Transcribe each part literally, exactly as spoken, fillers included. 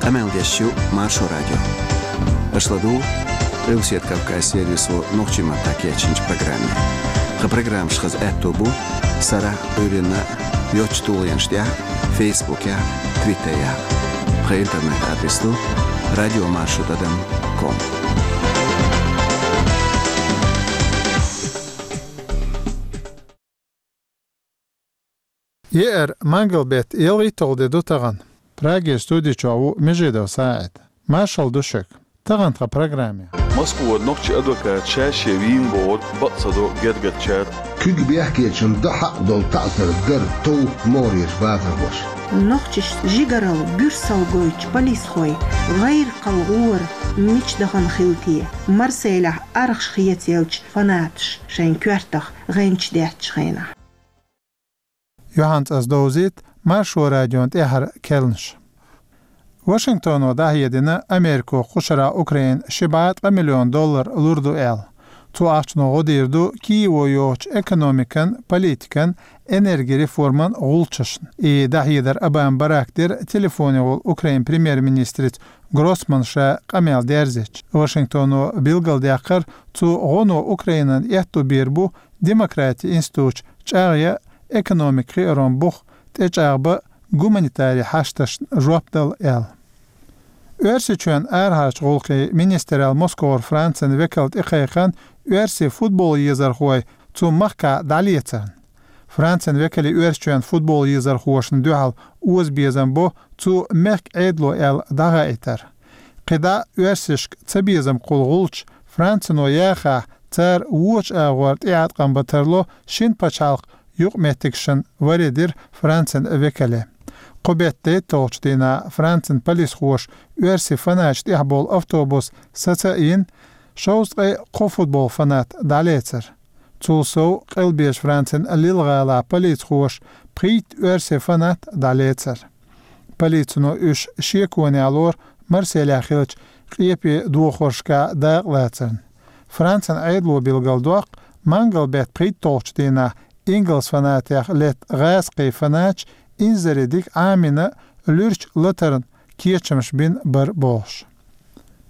Къамел деш ю Маршо радио. Аша ладугӀу Къилбаседа Кавказ сервисо нохчийн маттахь кечйинчу программе. Тхан программаш хаза аьтто бу сарахь а, Ӏуьйранна а йоцчу тулгӀенаш тӀехь а, Фейсбукехь а, Твиттерехь а. Тхан интернет-адрес ду радиомаршо тӀадам ком. Еара, мангал беттан ялхитталгӀа де ду тахана. Прагера студи чохь ву Межидов СаӀид. Маршалла ду шуьга. Тахана тхан программе. Москвара нохчийн адвокат ша-шен вийна бохург бакъ ца до гергарчара. Куьг бехкечун до хьакъ долу таӀзар дара товккха могӀарерчу базархоша. Нохчашна жигаралла, буьрсалла гойтучу полисхойн гӀайракхалла гӀора мича дахана хилла те? Марселехь архаш хецаелча фанаташ шайн коьртах гӀенча деттачу хенахь. Юьхьанца ас довзийта Маршо радион тӀаьххьара керланаш. Вашингтоно дӀахьедина Америко кху шарахь Украинна ши бӀе ткъа миллион доллар лур ду аьлла. Цу ахчано гӀо дийр ду Киево йохучу экономикан, политикан, энерги реформан гӀулчашна. И дӀахьедар Обама Барака дира телефонехула Украинан премьер-министрица Гроссманна ша къамел дерзича. Вашингтоно билгалдаьккхира, цу гӀоно Украинан аьтто бийр бу демократин институташ чӀагӀъян, экономикан хиарон бух тӀечӀагӀбан, гуманитаран хьашташна жоп дала аьлла. Оьрсийчоьнан арахьарчу гӀуллакхийн министралло Москвара Францин векал тӀекхайкхина оьрсийн футбол езархой цу махкахь дӀалецарна. Францин векале Оьрсийчоьнан футбол езархошна дуьхьал озабезам бо цу мехкан Ӏедало аьлла дӀахаийтар. КхидӀа оьрсашка цабезам кхуллу гӀулч Францино яхахь, цара вочу агӀор тӀеӀаткъам бан тарло шина пачхьалкхан юкъаметтигашна, варе дира Францин векале. Кху беттан дейтталгӀачу дийнахь Францин полисхоша оьрсийн фанаташ тӀехь болу автобус саца а йина, шовзткъе кхо футбол фанат дӀалецара. Цул сов, къилбеш Францин Лиль гӀалахь полицихоша пхийтта оьрсийн фанат дӀалецара. Полицино уьш шеконехь лору Марселехь хиллачу къепе дохоршкахь дакъалацарна. Францин Ӏедало билгалдоккху, мангал беттан пхийтталгӀачу дийнахь ингалс фанатех летта гӀазкхийн фанаташ инзаре дика Ӏамийна, луьрачу латарна кечамаш бина бара бохуш.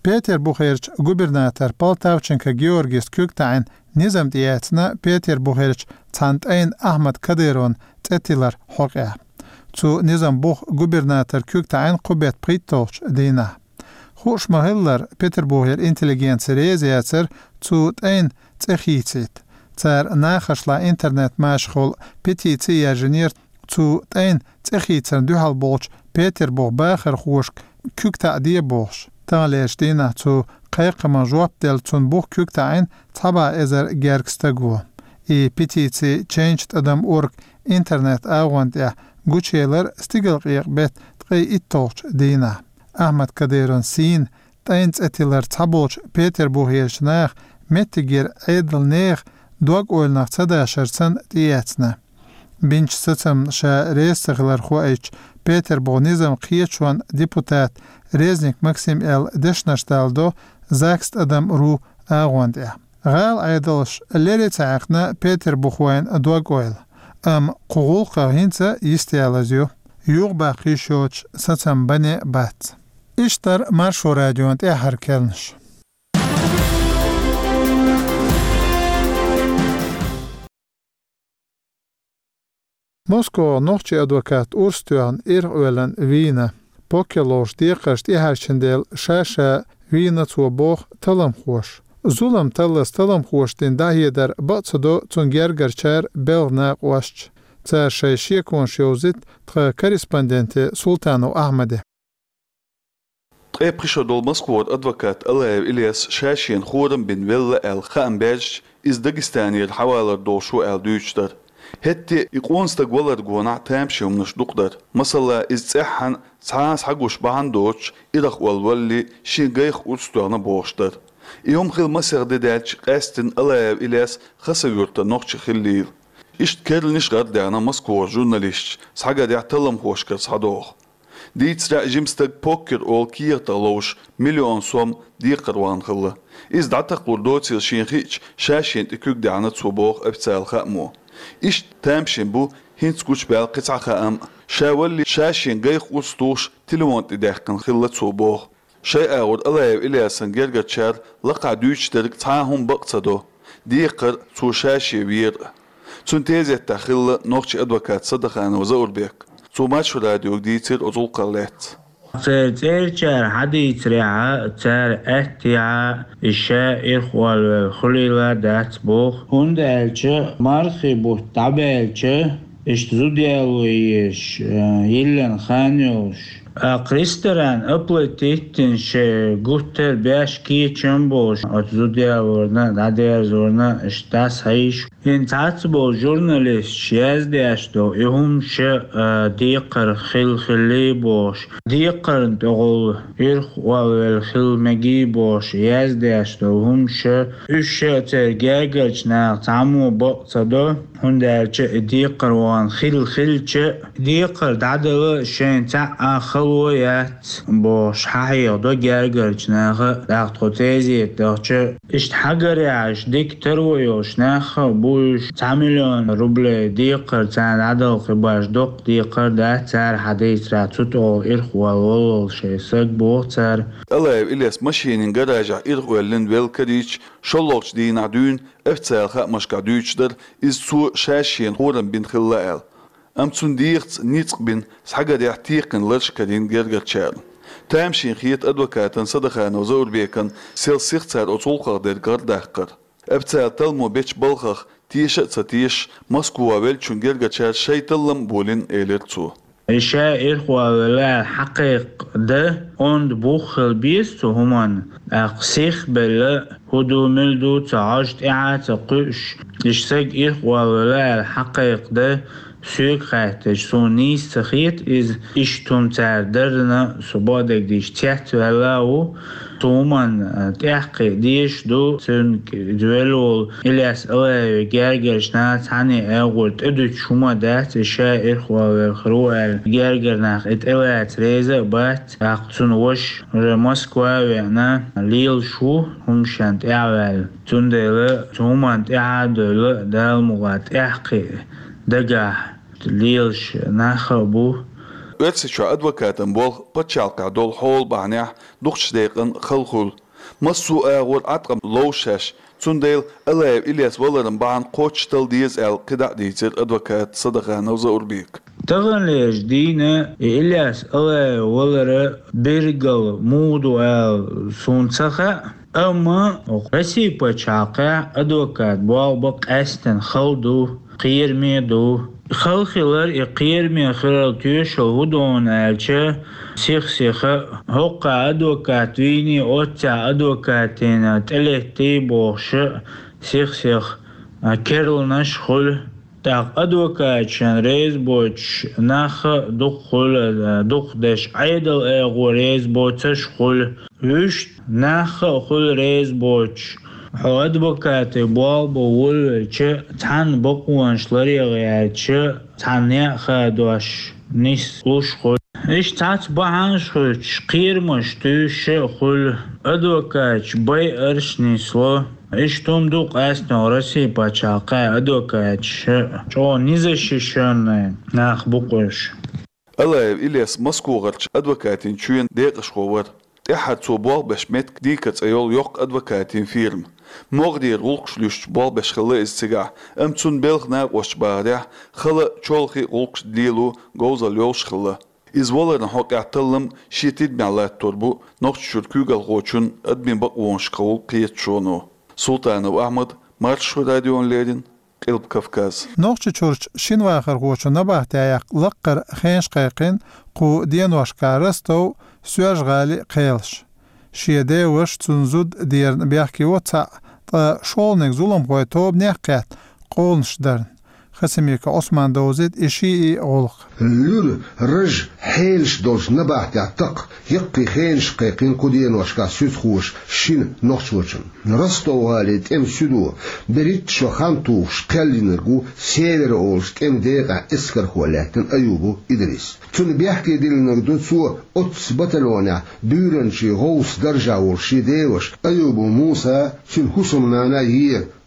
Петарбухерчу губернатор Полтавченко Георгис куьг таӀийна низам тӀеэцна Петарбухерчу цхьана тӀайна Ахьмад Кадыровн цӀе тиллар хьокъехь. Цу низам буха губернатор куьг таӀийна кху беттан пхийтталгӀачу дийнахь. Хууш ма-хиллара, Петарбухера интеллигенци реза яцара цу тӀайна цӀе хийцийта. Цара нахашлахь интернет-машахула петици а яржийнера цу тӀайна цӀе хийцарна дуьхьал болчу Петарбухан бахархошка куьг таӀаде бохуш. Таханлерчу дийнахь цу кхайкхамна жоп делла цунна буха куьг таӀийна цхьа бӀе эзар гергга стага. И петици Change тӀадам орг интернет-агӀонна тӀехь гучуелира стигалкъекъа беттан ткъе итталгӀачу дийнахь. Ахьмад Кадыровн сийна тӀайна цӀе тиллар цхьаболчу Петарбухерчу наха меттигера Ӏедалан нехан дог-ойланах ца дашар санна тӀеэцна. Бинчу сацамна ша реза ца хилар хоуьйтуш, Петарбухан низам кхеташонан депутата Резник Максима аьлла дешнаш даладо ЗАГС тӀадам ру агӀонна тӀехь. ГӀала Ӏедалша лере ца хьаькхна петарбухойн дог-ойла, амма кху гӀуллакхах хӀинца йистеялаза ю. Юха баккха йиш йоцуш сацам бан а бац. Иштта дара Маршо радион тӀаьххьара керланаш. Москвахь нохчийн адвокат урс тоьхна ирхъоьллина вийна. Поккер ловш декхарш тӀехьарчина дела ша-ша вийна цо боху талламхоша. Зулам таллалц талламхоша дина дӀахьедар бакъ ца до цунна гергарчара белхан накъосташа. Цара шайн шеконаш йовзуьйту тхан корреспонденте Султанов Ахьмаде. Ткъе пхи шо долу Москвара адвокат Алаев Ильяс ша-шена хорам бина велла аьлла хаам баьржича, иза Дагестанера хьавалар долуш ву аьлла дуьйцуш дара. ХӀетте а и къона стаг валар гонахь тамашийна хӀуманаш дукха дара. Масала, иза цӀеххьана цхьа а схьагуш бахьана доцуш, ирахъолла валале, шен гайх урс тоьхна бохуш дара. И хӀума хилла масех де даьлча, къаьсттина Алаев Ильяс Хасавюртан нохчи хиллийла. Иштта керланаш гӀардаьхна Москвара журналисташа, схьагарехь талламхошкара схьадоху. Дийцарехь, жима стаг поккер олу кехатах ловзуш миллион сом декхар вахана хилла. Иза дӀатакхалур доцийла шена хиъча, ша-шена тӀе куьг даьхьна цо боху официалан хаамо. Иштта тамашийна бу ХӀинца гучабаьлла кхин цхьа хаам а. Ша валале ша шен гайх урс тухуш телефон тӀе даьккхина хилла цо боху. Шайн агӀор Алаев Ильясан гергарчара лакхахь дуьйцуш дерг цхьа а хӀума бакъ ца до, декхар цо ша шен вер а. Цуьнан тезетта хилла нохчийн адвокат Садаханов Заурбек. Цо Маршо радиога дийцира оцу гӀуллакхах лаьцна. Церан цӀерачара хьадийцарехь а, цара аьттехь а, и ша ирхъолвелла хуьлийла дац боху. ХӀунда аьлча мархи бутт дӀабаьлча, иштта зуда яло езаш, э, йиллина хан йолуш, а, ресторан оплатить йина шайн гуттар а беш кечам болуш, оцу зуда ялорна а, дӀадерзорна а, иштта дӀасахьийзаш. ХӀинца цхьацца болу журналисташ яздеш ду, и хӀума ша, а, декхар хилла хилли бохуш, декхарна тӀехула ирхъолвелла хилла мегий бохуш, яздеш ду хӀума ша. Уьш ша церан гергарчу наха цхьаммо бакъ ца до, хӀунда аьлча и декхар вахана хилла хилча, декхар дӀадала шайна цхьа а хало яц бохуш, хьахьехадо гергарчу наха, тӀаккха тхо тезета дахча. Иштта хьагарехь, иштта дика таро йолуш нах а бу уьш, цхьа миллион рублей декхар царна дӀадала хи баш, доккха декхар дац цара хьадийцарехь, цу тӀехула ирхъолла воллуш шайн саг боху цара. Алаев Ильяс машенийн гаражехь ирхъоьллина велла карийча, шолгӀачу дийнахь дуьйна официалан хаамашкахь дуьйцуш дара, иза цо ша шена хӀораммо бина хилла аьлла. Амма цунна дегӀаца ницкъ бина, схьагарехь текхина ларш карийна гергарчарна. Тамашийна хета адвокатан Садаханов Заурбекан сел сиха цара оцу гӀуллакхах дерг гӀардаккхар. Официалан талламо бечу балхах теша а ца тешаш, Москва веллачун гергарчара шайн таллам а болийна, элира цо. И ша ирхъолвелла аьлла хьакхайкхадан онда бух хила беза цу хӀуманна, тӀаккха сихбелла, хӀун ду, мила ду ца хьожуш, тӀаьхьа а ца кхуьуш, и саг ирхъолвелла аьлла хьакхайкхадан соьга хаьттича, суна нийса ца хета иза, иштта хӀума цара дарна, со бакъдерг дийцича цецваьлла а ву. Цу хӀуманна, а, тӀаьхьакхиа дезаш ду, цуьнга иза велла волу Ильяс Алаевн гергарчу наха цхьанне а агӀор тӀедуьтуш хӀума дац, и ша ирхъолвелла хир ву аьлла, гергара нах и тӀелаца реза а бац, тӀаккха цуьнан ваша уже Москва а веана, лелаш ву хӀума шен тӀаьхьаваьлла. Цундела цу хӀуманна тӀаьхьа а девлла, Дала мукъалахь тӀаьхьакхиа дагахь лелаш нах а бу. Оьрсийчохь адвокатан болх пачхьалкхехь долу хьолан бахьанехь дукхачу декъана хала хуьлу. Массо а агӀор Ӏаткъам ловзу шаьш, цундела Алаев Ильяс валаран бахьана кхоччуш талла деза аьлла кхидӀа а дийцира адвоката Садаханов Заурбека. Таханлерчу дийнахь и Ильяс Алаев валар билггал муха ду ала суна ца хаьа, амма Россин пачхьалкхехь адвокатан болх бан къаьсттина хала ду, кхераме а ду. Хала хилар, и кхераме хиларан тоьшалла хӀун ду аьлча, сих-сиха, хӀокху адвокат вийний, оццехь адвокатана тӀелеттий бохуш а, сих-сиха, а, керланаш а хуьлу. ТӀаккха адвокаташна реза боцуш нах а дукха хуьлу, а, дукха дерш Ӏедалан агӀор реза боцуш а хуьлу. Вуьшта нах а хуьлу реза боцуш. Хьо адвокатан болх бан волавелча, цхьанна бакъонаш ларъян гӀерташ, цхьанна некъ хадош нислуш хуьлу. Иштта цхьацца бахьанаш хуьлуш, кхерамаш туьйсуш а хуьлу, адвокаташ байарш нисло. Иштта хӀума ду къаьсттина Россин пачхьалкхехь адвокаташ а, чӀогӀа незащищённый нах бу-кх уьш. Алаев Ильяс Москвагара адвокатийн чоьнан декъашхо вара. ТӀаьххьара цо болх беш меттиг «Дика» цӀе йолу йоккха адвокатийн фирма. МогӀарера гӀуллакхаш луьстуш болх беш хилла иза цигахь, амма цунна белхан накъосташа бахарехь, хала, чолхе а гӀуллакхаш лело говзалла йолуш хилла. Иза валаран хьокъехь таллам шен тидамехь латтор бу Нохчийчуьра куьйгалхочун адамийн бакъонашкахула кхеташоно. Султанов Ахьмад, Маршо радиона леррина, Къилба Кавказ. Нохчийчуьрчу шина вахархочун набахтехь яккха лаккхара хенаш кхайкхина кху деношкахь Ростов, Соьлжа-ГӀалин кхелаша. Шен деваша, цуьнан зуда дерна бехке во цхьаъ, ткъа шолгӀаниг зуламхойн тобанех а кхетта къовланаш дарна. Хасимиков Ӏусмана довзуьйту и шиъ а гӀуллакх. Луьра, ража, хьелаш долчу набахтехь такха яккхий хенаш кхайкхина кху деношкахь суьдхоша шина нохчочунна. Ростов-ГӀалин тӀеман суьдо берхӀитта шо хан тухуш кхел йинарг ву Север олучу тӀеман декъехь эскархо лаьттина Аюбов Идрис. Цунна бехке диллинарг ду цо оццу батальонехь буьйранчин гӀовса даржехь волу шен деваша Аюбов Муса, цуьнан хӀусамнана а,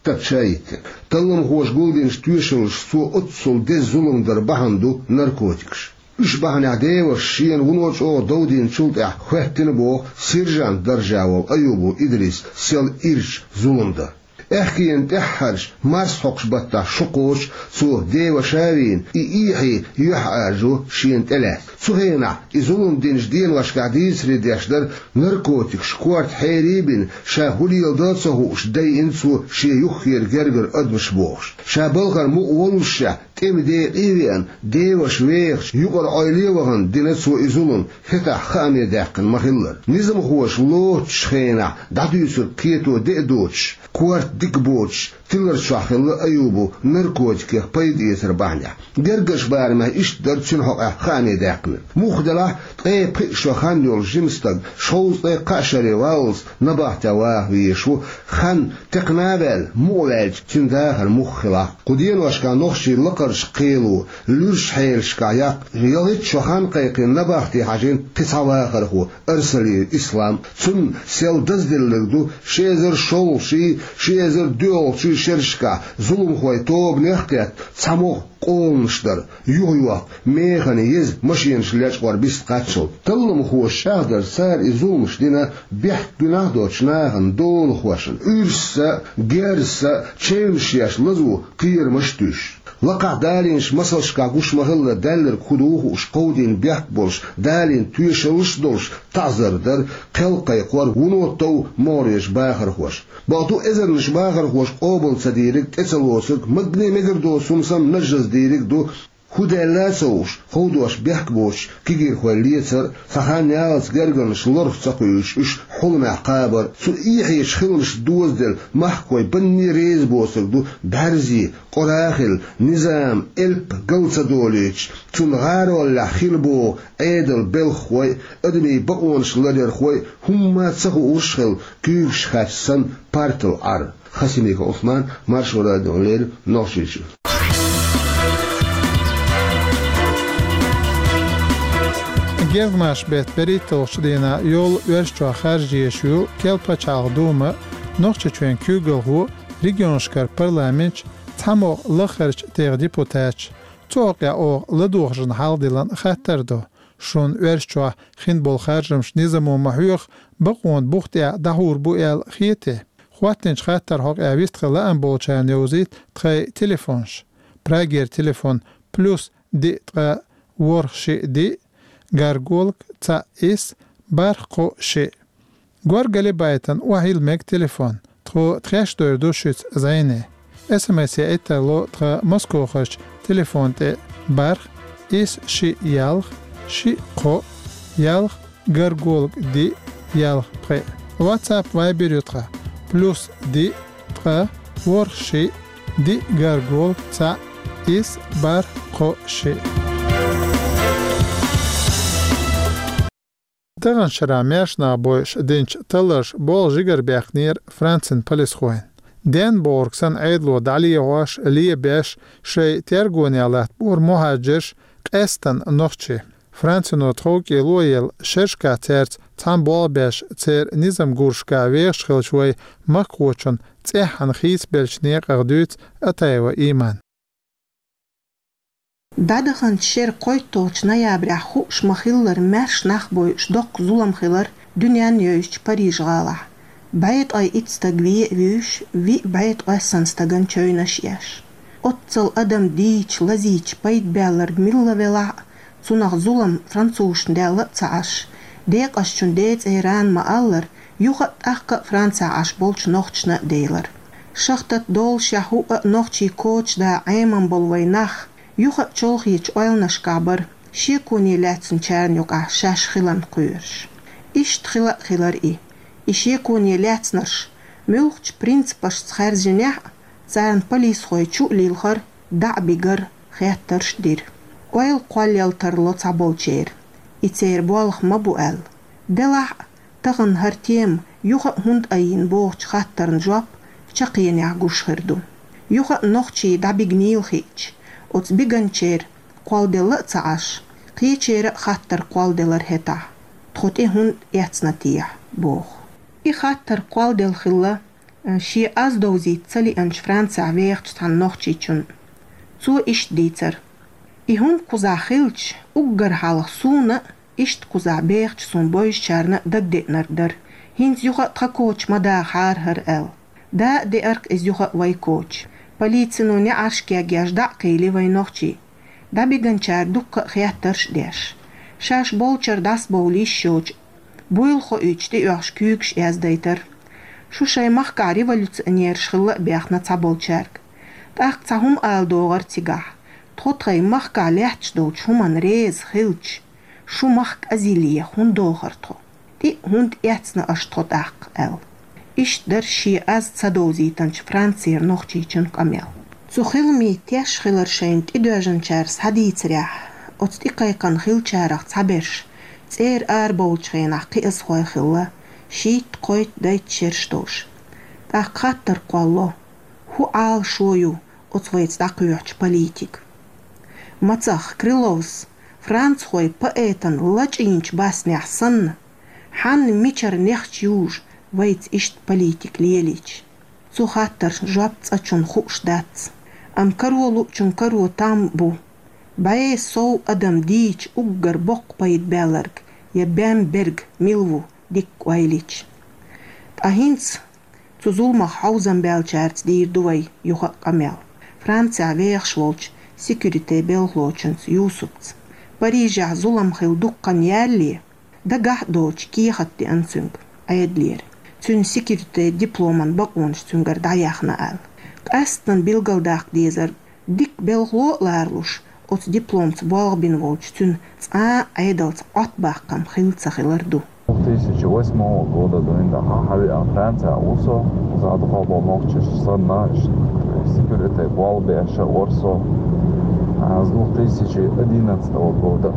Тачаитик. Талламхоша гулдинчу тоьшаллаш цо оццул деза зулам дар бахьана ду наркотикаш. Уьш бахьанехь деваша шена вуно чӀогӀа дов динчул тӀаьхьа хӀоьттина боху сержант даржехь волу Аюбов Идрис сел ирча зулам дан. Аьхкенан тӀаьххьарчу марсхьокху баттахь шо кхочу цо деваша а вийна, и эхье юьхьӀаьржо шена тӀелаьцна. Цу хенахь и зулам динчу деношкахь дийцаре деш дара, наркотикаш корта хьерий а бина, ша хӀун леладо а ца хууш, дайина цо шен юххера гергара адамаш бохуш. Ша балхара мукъа воллушехь, тӀеман декъе а веана, деваша вехачу юкъара Ӏойла а вахана дина цо и зулам, хӀетахь хааме даьккхина ма-хиллара. Низамхоша лоцучу хенахь дӀадуьйцург кхето де а доцуш, корта дика боцуш, тилар чохь хилла Аюбов наркотикех пайда эцар бахьанехь. Гергарчу барамехь иштта дара цуьнан хьокъехь хааме даьккхинарг. Муха делахь, ткъе пхи шо хан йолу жима стаг, шовзткъе кхаа шаре валлалц набахтехь ваха везаш ву, хан текхна а ваьлла, мукъа ваьлча, цуьнан дахар муха хилахь. Кху деношкахь нохчийн лакхарчу кхело, луьрачу хьелашкахь яккха, ялхитта шо хан кхайкхина набахте хьажийна кхин цхьа вахархо, Арсалиев Ислам. Цунна сел дазделларг ду ши эзар шолгӀачий, ши эзар доьалгӀачий шерашкахь зуламхойн тобанех а кхетта, цхьа могӀа къоланаш дар, юхайохка, механа еза машенаш лечкъор бист кхаччалц. Талламхоша чӀагӀдарца, цара и зуламаш дина бехк-гуьнахь доцучу нахана, долахошна, уьрсаша а, герзаша а чевнаш еш, лазо кхерамаш а туьйсуш. Лакхахь далийначу масалшкахь гуш ма-хиллара, даьлларг хӀун ду хууш, кховдийна бехк болуш, далийна тоьшаллаш а долуш, таӀзар дар, кхел кхайкхор, вуно тов могӀарерчу бахархошна. Бакъду, эзарнаш бахархоша къобал ца дийриг, тӀе ца лоцург, магане мегар доцу хӀума санна, нажжаза дийриг а ду, хӀун даьлла а ца хууш, ховдош бехк боцуш, кегийрхой лецар а, цхьа хан яллалц гергарнаш лорах ца кхуьйсуш, уьш хьуламехь кхабар а, цу эхьечу хиламашца дозаделла, махкахой банне реза боцург ду, бӀаьрзе, къора а хилла, низам, элп гал ца долуьйтуш, цунна гӀароллехь хила боху Ӏедалан белхахой а, адамийн бакъонаш ларъярхой а, хӀумма а ца хуурш а хилла, куьйгаш хаьттича санна, партал Ӏар. Хасимиков Ӏусман, Маршо радиона леррина, Нохчийчоь. Гергамаш беттан берхӀитталгӀачу дийнахь йолу Оьрсийчохь харжа езаш йолу Керла пачхьалкхан Дума, Нохчийчоьнан куьйгалхо, регионашкара парламенташ, цхьамогӀа лахарчу тӀегӀан депутаташ, цу хьокъехь оха ладогӀаршна хьалха диллина хаттар ду. Шуна Оьрсийчохь хин болу харжамаш низамо ма хьоьху, бакъонан бух тӀехь дӀахьур бу аьлла хетий? ХӀоттинчу хаттаран хьокъехь вистхила лаам болчарна йовзийта тхайн телефонаш. Прагера телефон: плюс диъ ткъа ворхӀ шиъ диъ, гарголг цхьаъ исс бархӀ кхоъ шиъ. Горгали байтина охьайилла мега телефон. Тхо тхаьш дойр ду шуьца зӀене. СМС яийта ло тхан Москохарчу телефон тӀе: бархӀ исс шиъ ялх шиъ кхоъ ялх гарголг диъ ялх пхиъ. WhatsApp, Viber ю тхан: плюс диъ ткъа ворхӀ шиъ диъ гарголг цхьаъ исс бархӀ кхоъ шиъ. Тахана шарахь маьрша нах бойуш динчу талларша болх жигарабаьккхинера Францин полисхойн. Денна бохург санна, Ӏедало дӀалехьош, лебеш, шайн тергонехь латтабора мухӀажарш, къаьсттина нохчий. Францино тховкӀело а елла, шерашкахь цаьрца цхьаьна болх беш, церан низам гурашкахь вехаш хиллачу вайн махкахочун цӀеххьана хийцабеллачу некъах дуьйцу Атаева Имана. ДӀадаханчу шеран кхойтталгӀачу ноябрехь хууш ма-хиллара, маьрша нах бойуш доккха зулам хилира дуьненна йовзачу Париж-гӀалахь. БӀе ткъе итт стаг вен а вуьйш, виъ бӀе ткъоьсна стагана чевнаш еш. Оццул адам дийча, лазийча пайда баьлларг милла велахь а, цунах зулам французашна даьлла а ца Ӏаш, декъазчун ден цӀерана ма-аллара, юха а тӀаккха а Францехь Ӏаш болчу нохчашна а делира. Шахтат доллушехь хӀуъа а нохчийн коча дан Ӏеман болу вайн нах, юха а чолхечу ойланашкахь бара, шеконе лаьцначарна юкъахь шаьш хиларна кхоьруш. Иштта хила а хилира и. И шеконе лаьцнарш, муьлххачу принципашца хаьржинехь а, царна полисхой чу а лилхар, дӀа а бигар, хеттарш а дира. Ойла кхоллал тарло цхьаболчеран, и церан болх ма бу аьлла. Делахь а, тахана хӀара тема юха а хӀунда айина бохучу хаттарна жоп чаккхенехь гуш хир ду. Юха а нохчий дӀабигнийла хиъча, оцу биганчеран кхолладелла а ца Ӏаш, кхечеран а хаттар кхолладелира хӀетахь: «Тхо тӀе хӀунда эцна техьа?» – боху. И хаттар кхолладелла хилла Шен аз довзийта ца лиъначу Францехь вехачу цхьана нохчичунна. Цо иштта дийцира: «И хӀума кхузахь хилча, уггар хьалха суна а, иштта кхузахь бехачу суна бовзучарна а дагадеънарг дара. ХӀинца юха а тхан коча ма дахахьара хӀара», — аьлла. Да а деара-кх иза юха а вай коча. Полицино неӀарш кегъеш дӀа а кхийли вай нохчий. ДӀабиганчара дуккха а хеттарш а деш. Шаьш болчара дӀасабовла йиш йоцуш, буйла хоуьйтуш тӀеоьхуш куьйгаш яздайтара. Шу шайн махкахь революционераш хилла а бехна цхьаболчаьрга. ТӀаккха цхьа хӀума ала догӀура цигахь: «Тхо тхайн махкахь лаьтташ долчу хӀуманна реза хилча, шу мах кӀезиле хӀунда дохура тхо? ТӀе а хӀунда эцна аша тхо тӀаккха?» — аьлла. Иштта дара шен аз ца довзийтинчу Францера нохчичун къамел. Цу хиламийн теш хилар шайна тӀедоьжначара схьадийцарехь, оцу тӀекхайкхина хиллачарах цхьаберш цӀера арабовлучу хенахь кхиазхой хилла, шийтта-кхойтта-дейтта шераш долуш. ТӀаккха хаттар кхолло: «ХӀун Ӏалашо ю оцу вайца дӀакхоьхьучу политикан? Мацах, Крыловс францхойн поэтан лачкъийначу баснехь санна, хьанна мичара нехча южу вайца иштта политика лелийча?» Цу хаттарна жоп цкъачунна хууш дац. Амма каро луучун каро там бу. БӀе сов адам дийча уггар боккха пайда баьлларг я бен берг мила ву дикка ойла йича? Ткъа хӀинца цу зуламах хьовзам баьллачаьрца дийр ду вай юха а къамел. Францехь вехаш волчу секьюритин белхалочуьнца Юсупца. Парижехь зулам хилла дуккха хан ялале, дагахь а доцуш кехат деана цуьнга Ӏедалера, цуьнан секьюритин дипломан бакъонаш цуьнгара дӀаяьхна аьлла. Къаьсттина билгалдаккха дезара, дика белхало а лоруш, оцу дипломца болх бина волчу цуьнан цкъа а Ӏедалца Ӏоттабаккхам хилла ца хилар ду. Две тысячи восьмого года дуьйна хьан хьан веана Францехь ву со, за дукха бо нохчаш санна, секьюритин болх беш а вара со. А с две тысячи одиннадцатого года.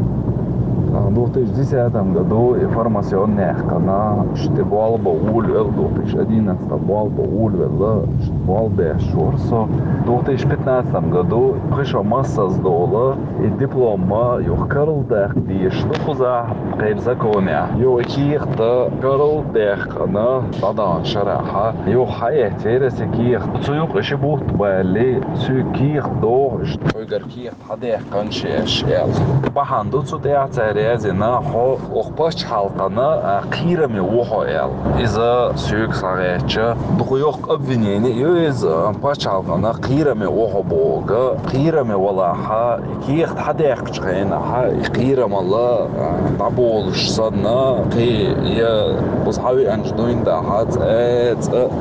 А в две тысячи десятом году и формацион яьккхина, шти болх бан волавелла, две тысячи одиннадцатом болх бан волавелла, шти болх беш вара со. В две тысячи пятнадцатом году кхин шо массаза дола, и диплом ма юха карладаккха дезаш ду кхузахь, кхеран законехь. Юха и кехат карладаьккхина, дӀадаханчу шарахь, юха хьаэцнера аса и кехат. Цу юкъа ши бутт балале, соьга кехат дохуш, вайгара кехат хьадаьккхина шаьш аьлла. Бахьана ду цу тӀехь цара яздина, хьо оха пачхьалкхана, а, кхераме ву хьо аьлла. Иза соьга схьагӀертача, дукха йоккха обвинени ю иза, пачхьалкхана кхераме ву хьо бохург, кхераме валахь, и кехат хьадаьккхичу хенахь, и кхерамалла, а, дӀаболуш санна, кхин я кхуза хьан веанчу дуьйна дахьа цӀа, цӀа,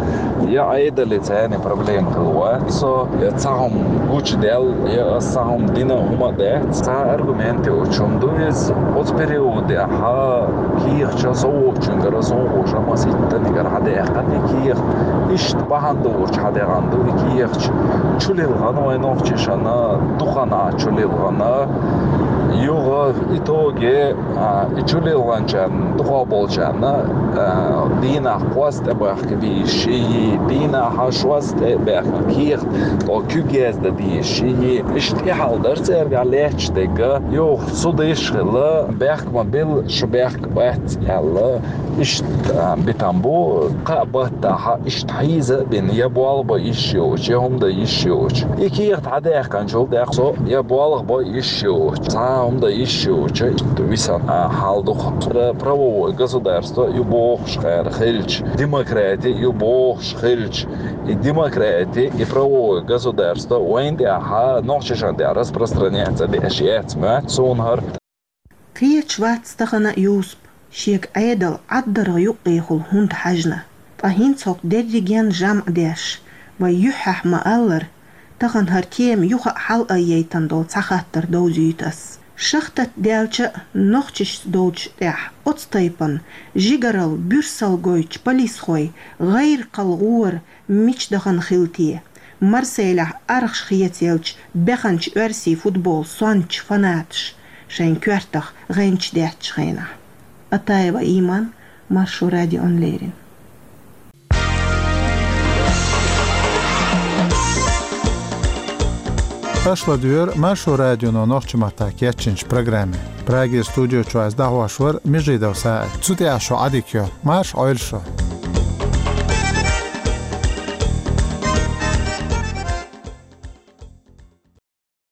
я Ӏедале царна проблема хилла вац со, я цхьа хӀума гучудаьлла, я аса цхьа хӀума дина хӀума дац. Цхьа аргумент йоцуш хӀума ду иза. Оцу периодехь кехаташ со воцучуьнгара, со вохуш маситтанигара хьадаьккхина и кехат. Иштта бахьана догӀурчу хьадаьккхина ду и кехаташ. Чулилхина вайн нохчашна, дукха хан чулилхина. Юха итоге, а, и чулилхинчарна, дукха болчарна, а, дийнахь кхозза тӀебахка безаш йий, дийнахь шозза тӀебахка кехат, тӀо куьг яздан безаш йий. Иштта и хьал дара цаьргахь лаьтташ дерг. Юха суд йиш хилла, бехк ма билла, шу бехк бац аьлла. Иштта, а, битам бу, кхаа баттахь, иштта хьийза а бина, я болх бан йиш йоцуш, я хӀума дан йиш йоцуш. И кехат хьадаьккхинчул тӀаьхьа со я болх бан йиш йоцуш, цхьа а хӀума дан йиш йоцуш, иштта висина, а, хьал ду-кх. Пра-, правовое государство ю бохуш кхара хилча, демократи ю бохуш хилча, и демократи, и правовое государство вайна тӀехь, нохчашна тӀехь распространяться деш яц моьтту суна хӀара. Кхеташ вац тахана а Юсуп, шега Ӏедал ӀаддаргӀа юккъехула хӀунда хьаьжна. Ткъа хӀинца хӀокху дерриген жамӀ деш, вай юьххьехь ма-аллара, тахана хӀара тема юха а хьалаайъайтина долу цхьа хаттар довзуьйту ас. Шахтат даьлча а, нохчашца долчу тӀехь оцу тайпана жигаралла, буьрсалла гойтучу полисхойн гӀайракхалла гӀора мича дахана хилла те, Марселехь архаш хецаелча беханчу оьрсийн футбол сончу фанаташ шайн коьртах гӀенташ деттачу хенахь. Атаева Иман, Маршо радиона леррина. Аша ладоьгӀура Маршо радионо нохчийн маттахь кечйинчу программе. Прагера студи чуьра ас дӀахьош вара Межидов СаӀид. Цу тӀехь шун Ӏадика йо. Марша Ӏойла шу.